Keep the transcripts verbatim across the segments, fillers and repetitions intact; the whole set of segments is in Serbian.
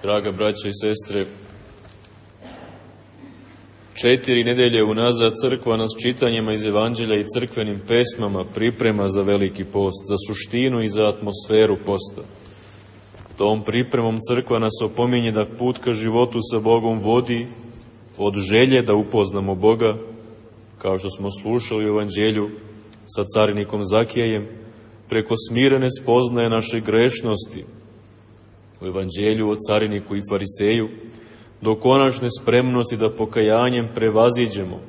Draga braća i sestre, četiri nedelje unazad crkva nas čitanjima iz Evanđelja i crkvenim pesmama priprema za veliki post, za suštinu i za atmosferu posta. Tom pripremom crkva nas opominje da put ka životu sa Bogom vodi od želje da upoznamo Boga, kao što smo slušali u Evanđelju sa carinikom Zakijejem, preko smirene spoznaje naše grešnosti u Evanđelju o cariniku i fariseju, do konačne spremnosti da pokajanjem prevaziđemo,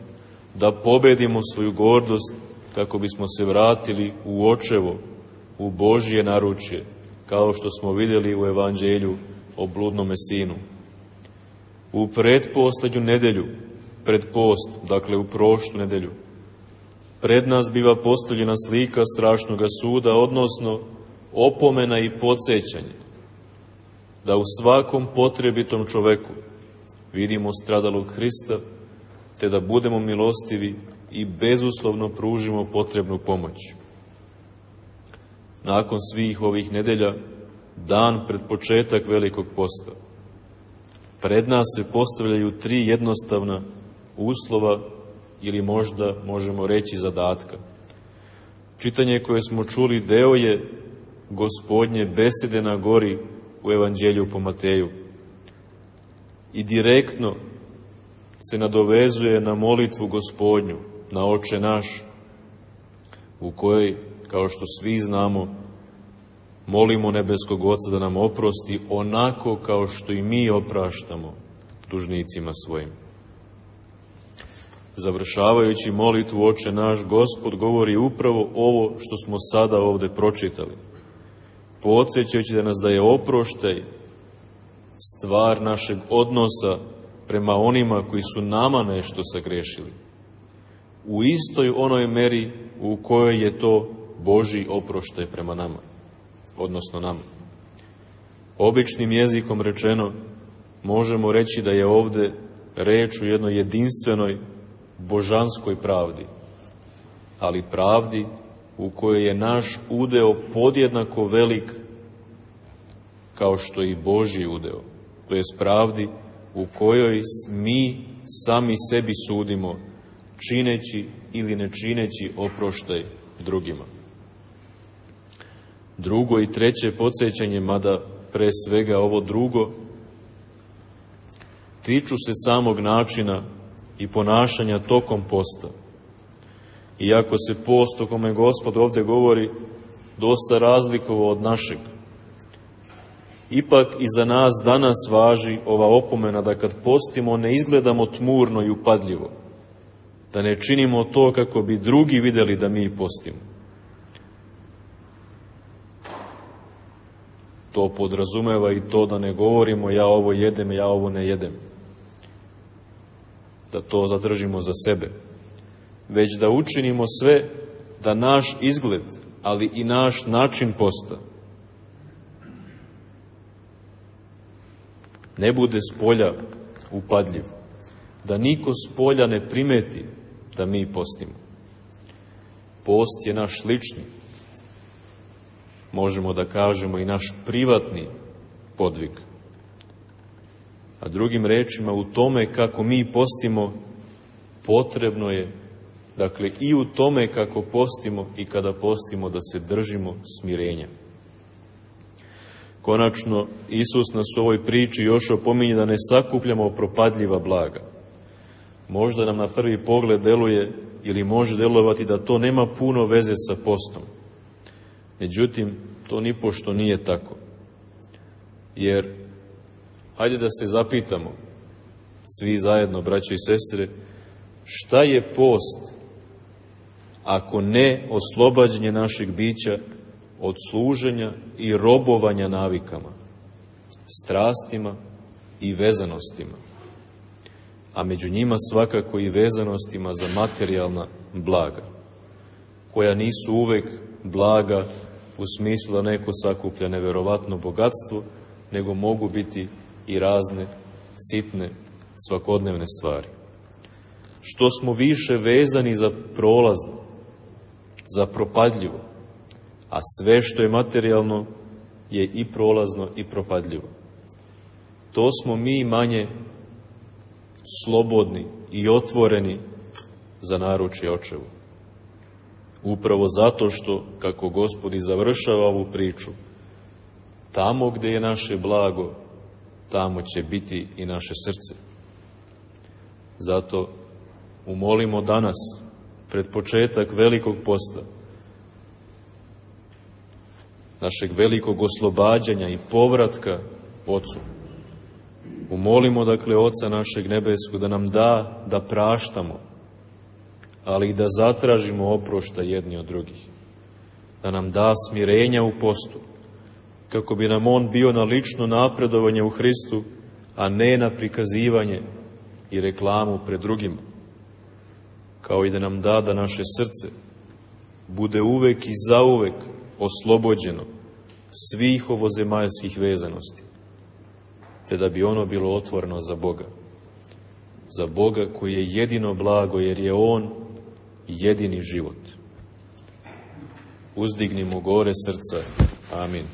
da pobedimo svoju gordost kako bismo se vratili u očevo, u Božje naručje, kao što smo vidjeli u Evanđelju o bludnome sinu. U pretposlednju nedelju, pred post, dakle u prošlu nedelju, pred nas biva postavljena slika strašnoga suda, odnosno opomena i podsjećanje, da u svakom potrebitom čoveku vidimo stradalog Hrista, te da budemo milostivi i bezuslovno pružimo potrebnu pomoć. Nakon svih ovih nedelja, dan pred početak velikog posta, pred nas se postavljaju tri jednostavna uslova ili možda možemo reći zadatka. Čitanje koje smo čuli deo je Gospodnje besede na gori u Evanđelju po Mateju i direktno se nadovezuje na molitvu Gospodnju, na Oče naš, u kojoj, kao što svi znamo, molimo nebeskog Oca da nam oprosti onako kao što i mi opraštamo dužnicima svojim. Završavajući molitvu Oče naš, Gospod govori upravo ovo što smo sada ovde pročitali, podsjećajući da nas da je oproštaj stvar našeg odnosa prema onima koji su nama nešto sagrešili, u istoj onoj meri u kojoj je to Božji oproštaj prema nama, odnosno nama. Običnim jezikom rečeno, možemo reći da je ovde reč u jednoj jedinstvenoj božanskoj pravdi, ali pravdi u kojoj je naš udeo podjednako velik kao što i Božji udeo, to jest pravdi u kojoj mi sami sebi sudimo, čineći ili ne čineći oproštaj drugima. Drugo i treće podsjećanje, mada pre svega ovo drugo, tiču se samog načina i ponašanja tokom posta. Iako se post o kome Gospod ovde govori dosta razlikovao od našeg, ipak i za nas danas važi ova opomena da kad postimo ne izgledamo tmurno i upadljivo, da ne činimo to kako bi drugi videli da mi postimo. To podrazumeva i to da ne govorimo ja ovo jedem, ja ovo ne jedem, da to zadržimo za sebe, već da učinimo sve da naš izgled, ali i naš način posta ne bude spolja upadljiv, da niko spolja ne primeti da mi postimo. Post je naš lični, možemo da kažemo i naš privatni podvig. A drugim rečima, u tome kako mi postimo, potrebno je, dakle, i u tome kako postimo i kada postimo, da se držimo smirenja. Konačno, Isus nas u ovoj priči još opominje da ne sakupljamo propadljiva blaga. Možda nam na prvi pogled deluje ili može delovati da to nema puno veze sa postom. Međutim, to nipošto nije tako. Jer, hajde da se zapitamo, svi zajedno, braćo i sestre, šta je post ako ne oslobađanje našeg bića od služenja i robovanja navikama, strastima i vezanostima, a među njima svakako i vezanostima za materijalna blaga, koja nisu uvek blaga u smislu da neko sakuplja neverovatno bogatstvo, nego mogu biti i razne sitne svakodnevne stvari. Što smo više vezani za prolazno, za propadljivo, a sve što je materijalno je i prolazno i propadljivo. to smo mi manje slobodni i otvoreni za naručje očevu. Upravo zato što, kako Gospod i završava ovu priču, tamo gdje je naše blago, tamo će biti i naše srce. Zato umolimo danas, pred početak velikog posta, našeg velikog oslobađanja i povratka Ocu. Umolimo, dakle, Oca našeg nebeskog da nam da da praštamo, ali i da zatražimo oprošta jedni od drugih. Da nam da smirenja u postu, kako bi nam on bio na lično napredovanje u Hristu, a ne na prikazivanje i reklamu pred drugima. Kao i da nam da da naše srce bude uvek i zauvek oslobođeno svih ovozemaljskih vezanosti, te da bi ono bilo otvoreno za Boga. Za Boga koji je jedino blago, jer je on jedini život. Uzdignimo gore srca. Amin.